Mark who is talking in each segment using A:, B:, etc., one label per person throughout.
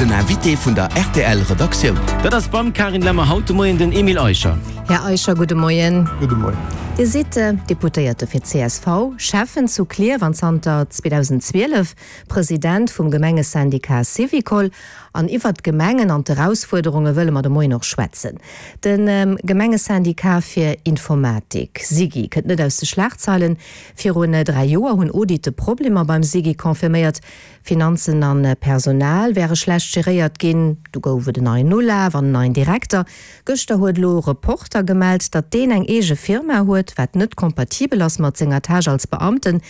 A: Den Invité vun der rtl Redaktioun.
B: Dat ass beim Carine Lemmer haut de Moien den Emile Eicher.
C: Här Eicher, gudde Moien.
D: Gudde Moien.
C: Dir sidd Deputéierte fir d'CSV, Schäffen zu Klierf an zanter 2012 President vum Gemengesyndicat Syvicol. An iwwert d'Gemengen an d'Erausfuerderunge wëlle mer de Moien och schwätzen. De Gemengesyndicat fir Informatik, SIGI, kënnt net aus de Schlagzeilen. Virun 3 Joer hunn Audite Problemer beim SIGI confirméiert. Finanzen a Personal wäre schlecht geréiert ginn. Du gouf et en neien Ulaf an en neien Direkter. Gëschter huet elo Reporter gemellt, datt deen eng eege Firma huet, wat net kompatibel ass mat senger Tâche als Beamten.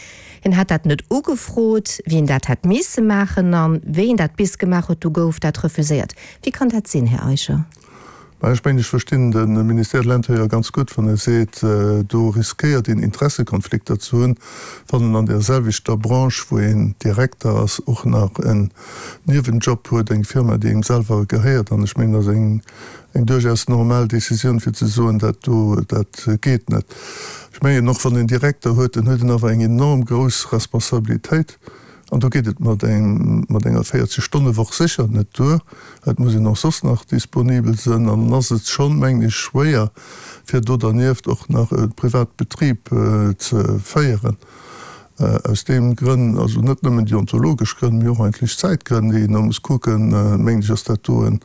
C: Hien hätt dat net ugefrot, wéi en dat hätt misse maachen. A wéi en dat bis gemaach huet, du gouf dat refuséiert. Wéi kann dat sinn, Här Eicher?
D: Mä ech mengen, ech verstinn de Ministère de l'Intérieur ganz gutt, wann e seet, do riskéiert een Interessekonflikter ze hunn, wann en an där selwechter Branche, wou een Direkter ass, och nach en Niewenjob huet, eng Firma, déi engem selwer gehéiert. An ech mengen, dat ass eng eng duerchaus normal Décisioun, fir ze soen, dat do, dat geet net. Ech mengen och, wann een Direkter huet, dann huet en awer eng enorm grouss Responsabilitéit. An do geet et mat engem, mat enger 40 Stonne-Woch sécher net duer. Et muss een och soss nach disponibel sënn. An dann ass et schonn, mengen ech, schwéier, fir do dernieft och nach e privat Betrib ze féieren. Aus deem Grënn, also net nëmmen deontologesch Grënn, mee och eigentlech Zäitgrënn, déi een da muss kucken, mengen ech, ass dat do e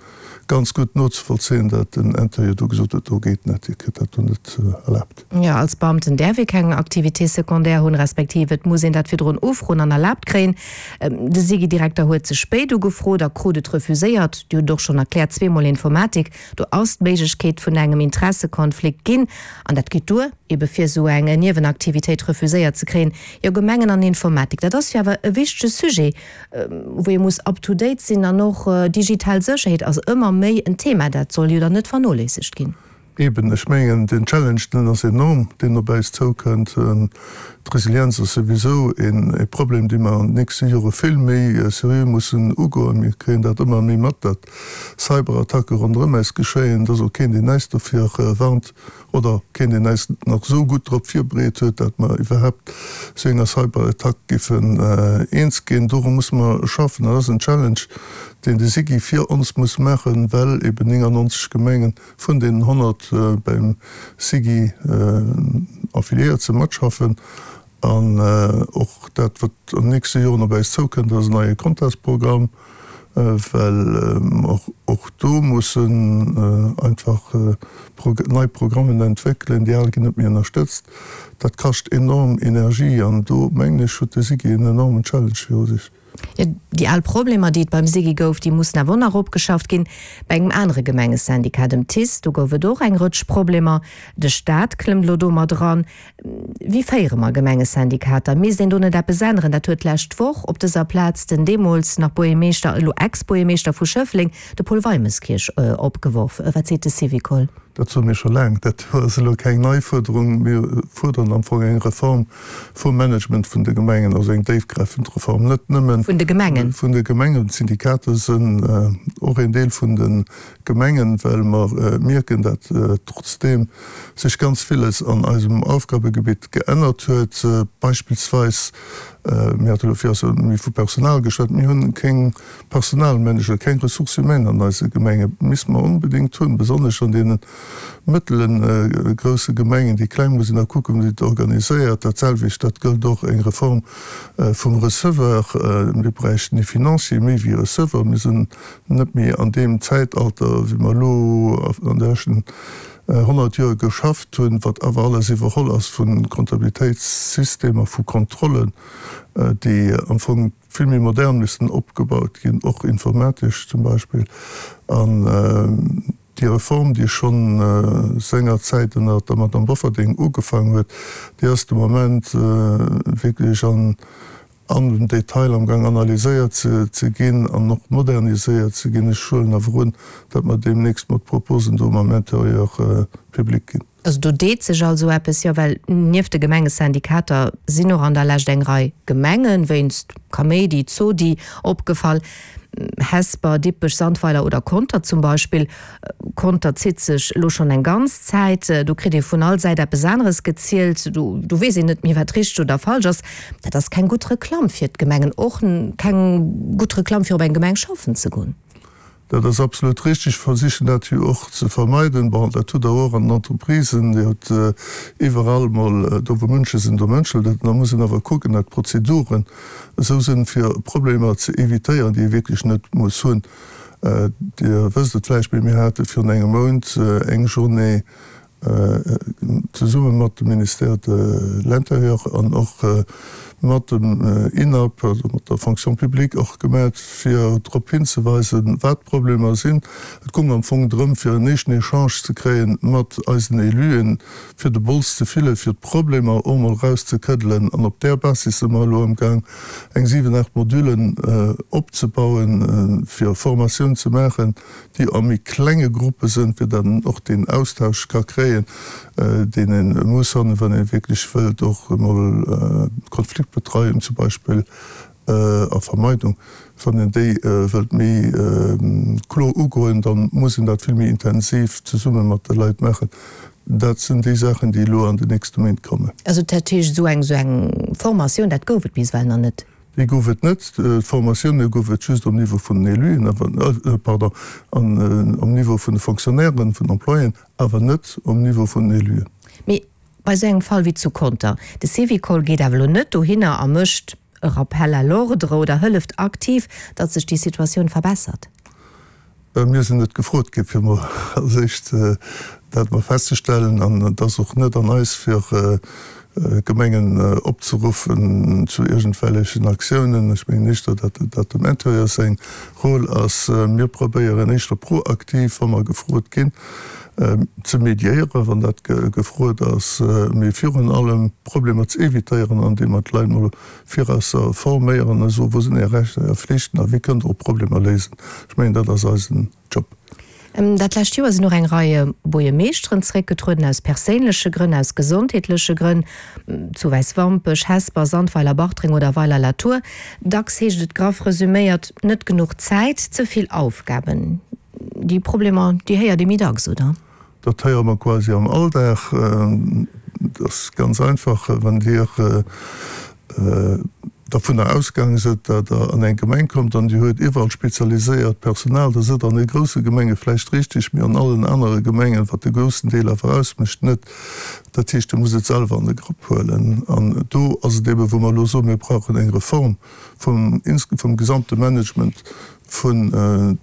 D: ganz gutt nozevollzéien, dat den Interieur do gesot huet, do geet net, Dir kritt dat do net erlaabt.
C: Jo, als Beamten däerf ee keng Activité secondaire hunn, respektiv et muss een dat virdrun ufroen an erlaabt kréien. De SIGI-Direkter huet ze spéit ugefrot a krut et refuséiert. Dir hutt et och schonn erkläert, zweemol Informatik, do ass d'Méiglechkeet vun engem Interessekonflikt ginn an dat geet duer, ebe fir esou eng Niewenaktivitéit refuséiert ze kréien. Jo, Gemengen an Informatik, dat ass jo awer e wichtege Sujet. wou ee muss up to date sinn an och digital Sécherheet ass ëmmer méi en Thema, dat soll jo dann net vernoléissegt ginn.
D: Eben, ech mengen den Challenge, deen ass enorm, deen op äis zoukënnt. D'Resilienz ass souwisou e Problem, dee mer an den nächste Jore vill méi seriö mussen ugoen. Mir kréien dat ëmmer méi mat, datt Cyberattacke ronderëm äis geschéien. Et ass och keen, deen äis dofir warnt. Oder keen, deen äis nach esou gutt drop virbereet huet, dat mer iwwerhaapt esou enger Cyberattack géifen eens ginn. Doru musse mer schaffen. Dat ass en Challenge, deen de SIGI fir ons muss maachen, well eben 99 Gemenge vun deenen 100 beim SIGI affiliéiert sinn, matschaffen. An och dat, wat an den nächste Joren op äis zoukënnt, ass en neie Contestprogramm, well mer och do mussen einfach nei Programmen entwéckelen. Déi al ginn net méi ënnerstëtzt. Dat kascht enorm Energie an do, mengen ech, huet de SIGI en enormen Challenge viru sech.
C: Jo, déi al Problemer, déi et beim SIGI gouf, déi mussen awer och nach opgeschafft ginn. Bei engem anere Gemengesyndicat, dem TICE, do gouf et och eng Rëtsch Problemer. De Staat klëmmt elo do mat eran. Wéi féiere mer Gemengesyndikater? Misst een do net eppes änneren? Dat huet d'lescht Woch op dëser Plaz den deemools nach Buergermeeschter, elo Ex-Buergermeeschter vu Schëffleng, de Paul Weimerskirch, opgeworf. Wat seet de Syvicol?
D: Dat soe mir scho laang. Dat ass elo keng nei Fuerderung. Mir fuerderen am Fong eng Reform vum Management vun de Gemengen, also eng déifgräifend Reform, net nëmmen.
C: Vun de Gemengen?
D: Vun de Gemengen. D'Syndikater sinn och een Deel vun de Gemengen, well mer mierken, dat trotzdeem sech ganz villes an eisem Aufgabegebitt geännert huet. Beispillsweis, mir hate elo virdu méi vu Personal geschwat, mir hunn keng Personalmanager, keng Ressources humaines an eise Gemengen. Misste mer onbedéngt hunn, besonnesch an deene mëttele grousse Gemengen. Déi kleng muss een da kucken, wéi se et organiséiert. Dat selwecht, dat gëllt och eng Reform vum Receveur. Mir bräichten ee Financier méi wéi e Receveur. Mir sinn net méi an deem Zäitalter, wéi mer elo an de leschten 100 Joer geschafft hunn, wat awer alles iwwerholl ass vu Kontabilitéitssystemer, vu Kontrollen, déi am Fong vill méi modern müssen opgebaut ginn, och informatesch zum Beispill. An déi Reform, déi schonn sengerzäit ënner der Madame Bofferding ugefaangen huet, déi ass de Moment wierklech an an dem Detail am Gang analyséiert ze ginn an och moderniséiert ze ginn. Ech huelen awer un, datt mer deemnächst mat Proposen do mam Intérieur public ginn.
C: Also do deet sech also eppes, jo, well nieft de Gemengesyndikater sinn och an der Lescht eng Rei Gemenge wéinst Kaméidi, Zodi opgefall. Hesper, Dippech, Sandweiler oder Conter zum Beispill. Conter zitt sech elo schonn eng ganz Zäit. Do kritt ee vun all Säit eppes aneres gezielt. Do do weess een net méi, wat richteg oder falsch ass. Dat ass keng gutt Reklamm fir d'Gemengen, och keng gutt Reklamm fir op eng Gemeng schaffen ze goen.
D: Dat ass absolut richtig. Ech versichen dat jo och ze vermeiden. Bon, dat hutt Der och an den Entreprisen, Dir hutt iwwerall mol, do wou Mënsche sinn, do mënschelt et. Da muss een awer kucken, datt d'Prozeduren esou sinn, fir Problemer ze évitéieren, déi ee wierklech net muss hunn. Dir wësst et vläicht, mee mir hate virun engem Mount eng Journée zesumme mat dem Ministère de l'Intérieur an och mat dem INAP, also mat der Fonction publique och gemat, fir drop hinzeweisen, wat d'Problemer sinn. Et goung am Fong drëm, fir en éischten Echange ze kréie mat eisen Éluen, fir de Bols ze fillen, fir d'Problemer och mol erauszekëddelen. An op där Basis si mer elo amgaang, eng 7, 8 Modulen opzebauen, fir Formatioun ze maachen, déi a méi klenge Gruppe sënn, fir datt en och deen Austausch ka kréien, deen ee muss hunn, wann ee wierklech wëllt och emol Konfliktbetreiung zum Beispill a Vermeidung, wann een déi wëllt méi kloer ugoen, da muss een dat vill méi intensiv zesumme mat de Leit maachen. Dat sinn déi Saachen, déi elo an den nächste Méint kommen.
C: Also dat heescht, esou eng esou eng Formatioun, dat gouf et bis ewell nach net?
D: Déi gouf et net. D'Formatioune gouf et just um Niveau vun den Éluen, awer, pardon, an um Niveau vun de Fonctionnairen, vun den Employéen, awer net um Niveau vun den Éluen.
C: Mee bei esou engem Fall wéi zu Conter, de Syvicol geet awer elo net dohinner a mécht e Rappel à l'ordre oder hëlleft aktiv, datt sech déi Situatioun verbessert.
D: Mir sinn net gefrot gi fir mol als éischt dat mol festzestellen an et ass och net an eis fir Gemengen opzeruffen zu iergendwellechen Aktiounen. Ech mengen éischter, datt dat dem Intérieur seng Rôle ass. Mir probéieren éischter proaktiv, wa mer gefrot ginn, ze mediéieren, wann dat gefrot ass, mee virun allem Problemer ze évitéieren, andeem mer d'Leit mol virausser forméieren a soen, wou sinn Är Rechter, Är Flichten a wéi kënnt Der och Problemer léisen. Ech mengen, dat ass eisen Job.
C: Dat lescht Joer sinn och eng Rei Buergermeeschteren zeréckgetrueden, aus perséinleche Grënn, aus gesondheetleche Grënn, zu Wäiswampech, Hesper, Sandweiler, Bartreng oder Weiler-la-Tour. Dacks heescht et graff resüméiert, net genuch Zäit, ze vill Aufgaben. Déi Problemer, déi héiert ee méi dacks, oder?
D: Dat héiere mer quasi am Alldag. Et ass ganz einfach, wann Dir dervunner ausgaange sidd, datt Der an eng Gemeng kommt an Dir huet iwwerall spezialiséiert Personal, da sidd Der an de grousse Gemenge vläicht richtig, mee an allen anere Gemengen, wat de groussen Deel awer ausmécht, net. Dat heescht, Dir musst et selwer an de Grapp huelen. An do ass et eeben, wou mer elo soen, mir brauchen eng Reform vum gesamte Management vun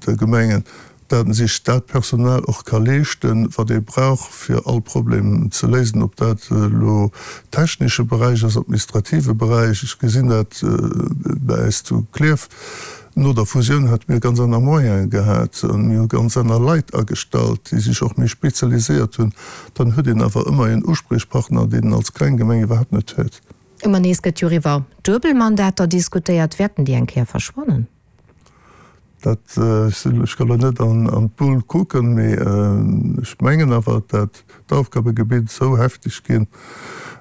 D: de Gemengen, dat en sech dat Personal och ka leeschten, wat ee brauch, fir all Problem ze léisen, ob dat elo technesche Beräich ass, administrative Beräich. Ech gesinn dat bei äis zu Klierf, no der Fusioun hate mir ganz aner Moyene gehat an mir hu ganz aner Leit agestallt, déi sech och méi spezialiséiert hunn. Dann huet een awer ëmmer een Uspriechpartner, deen en als kleng Gemeng iwwerhaapt net huet.
C: Ëmmer nees gëtt jo och iwwer Duebelmandater diskutéiert. Wäerten déi eng Kéier verschwannen?
D: Dat, ech ka lo net an d'Bull kucken, mee ech mengen awer, dat d'Aufgabegebitt esou hefteg ginn,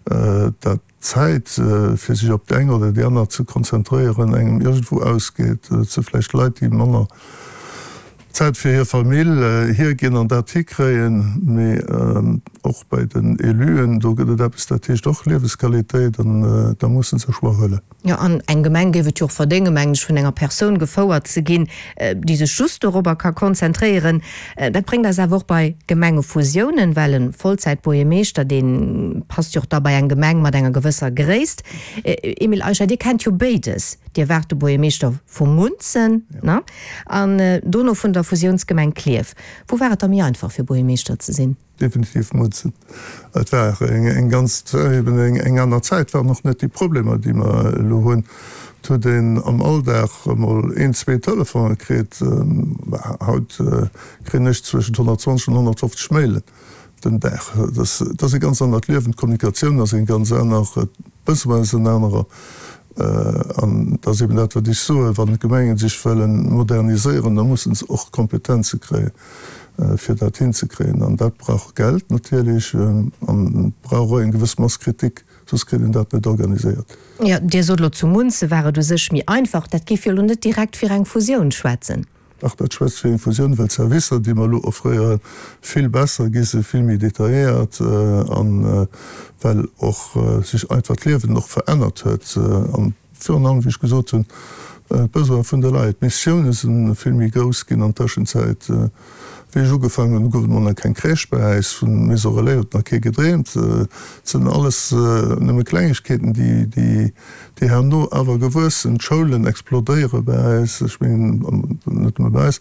D: dat d'Zäit, fir sech op déi eng oder déi aner ze konzentréieren, engem iergendwou ausgeet. Et si vläicht Leit, déi manner Zäit fir hir Famill hierginn an dat hikréien, mee och bei den Éluen, do gëtt et eppes, dat heescht och Liewesqualitéit an da musse se Choix huelen.
C: Jo, an eng Gemeng géif et jo och verdéngen, mengen ech, vun enger Persoun gefouert ze ginn, déi sech just dorobber ka konzentréieren. Dat bréngt eis awer och bei Gemengefusiounen, well e Vollzäitbuergermeeschter, dee passt jo och da bei eng Gemeng mat enger gewësser Gréisst. Emile Eicher, Dir kennt jo béides, Dir waart de Buergermeeschter vu Munzen, ne, an dono vun der Fusiounsgemeng Klierf. Wou war et da méi einfach, fir Buergermeeschter ze sinn?
D: Definitiv Mutzen. Et war eng ganz, eben eng aner Zäit, et waren och net déi Problemer, déi mer elo hunn. Et huet een am Alldag emol een, zwee Telefonen kritt. Haut kréien ech zwëschent 120 an 150 Mailen den Dag. Dat ass e ganz anert Liewen, d'Kommunikatioun ass eng ganz aner, d'Besoin ass en anerer. An dat ass eben dat, wat ech soen, Wann d'Gemengen sech wëlle moderniséieren, da musse se och Kompetenze kréien. fir dat hinzekréien. An dat brauch Geld natierlech an brauch och eng gewëss Mass Kritik, soss kritt een dat net organiséiert.
C: Jo, Dir sot elo, zu Munze war et u sech méi einfach. Dat géif jo elo net direkt fir eng Fusioun schwätzen.
D: Dach, dat schwätzt fir eng Fusioun, well d'Servicer, déi mer elo offréieren, vill besser gi sinn, vill méi detailléiert an well och sech einfach d'Liewen och verännert huet. An virun allem, wéi ech gesot hunn, D'Besoine vun de Leit, d'Missioune si vill méi grouss ginn an Tëschenzäit. Wéi ech ugefaangen hunn, gouf et mol nach keng Crèche bei äis. Vu Maison Relais huet nach kee gedreemt. Et sinn alles nëmme Klengegkeeten, déi herno awer gewuess sinn. D'Schoulen explodéiere bei äis. Ech mengen, net nëmme bei äis,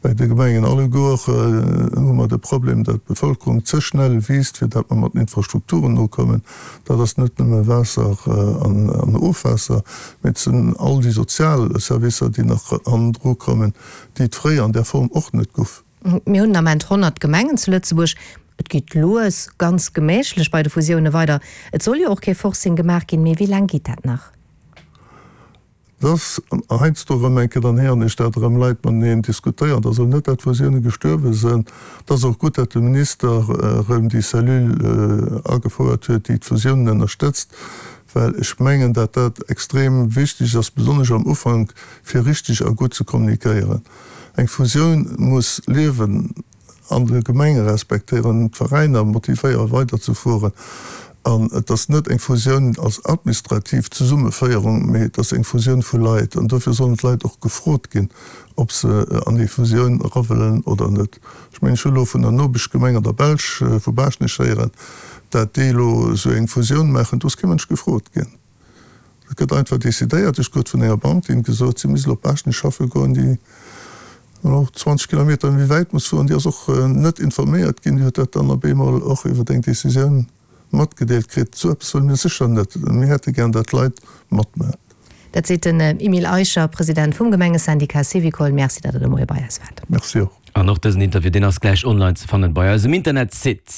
D: bei de Gemengen alleguer hu mer de Problem, datt d'Bevëlkerung ze schnell wiisst, fir datt mer mat den Infrastrukturen nokommen. Dat ass net nëmme Waasser an Ofwaasser, mee et sinn all déi sozial Servicer, déi nach hannendru kommen. déi et fréier an där Form och net guff.
C: Mir hunn den Ament 100 Gemengen zu Lëtzebuerg. Et geet lues, ganz gemächlech bei de Fusioune weider. Et soll jo och kee Forcing gemaach ginn, mee wéi laang geet dat nach?
D: Et ass heiansdo erëm eng Kéier, dann héieren ech dat erëm Leit mateneen diskutéieren, dass elo net dat d'Fusioune gestuerwe sënn. Et ass och gutt, dat de Minister erëm déi Cellule agefouert huet, déi d'Fusiounen ënnerstëtzt, well ech mengen, dat dat extrem wichteg ass, besonnesch am Ufank, fir richteg a gutt ze kommunikéieren. Eng Fusioun muss Liewen an de Gemenge respektéieren, d'Veräiner motivéieren weiderzefueren. An et ass net eng Fusioun als administrativ Zesummeféierung, mee et ass eng Fusioun vu Leit. An dofir sollen d'Leit och gefrot ginn, ob se an déi Fusioun era wëllen oder net. Ech mengen, ech hu elo vun der Nopeschgemeng an der Belsch, vu Baaschtnech héieren, dat déi elo esou eng Fusioun maachen. Do ass kee Mënsch gefrot ginn. Et gëtt einfach decidéiert. Ech krut vun enger Beamtin gesot, si misst elo op Baaschtnech schaffe goen, déi elo 20 Kilometer méi wäit muss fueren. Déi ass och net informéiert ginn. Déi huet dat dann op eemol och iwwer eng Decisioun matgedeelt kritt. Esou eppes wëlle mir sécher net. Mir hätte gären, datt d'Leit matmaachen.
C: Dat seet den Emile Eicher, President vum Gemengesyndicat Syvicol. Merci, datt Der de Moie bei eis waart.
D: Merci och.
B: An och dësen Interview, deen ass gläich online ze fannen bei eisem Internetsite.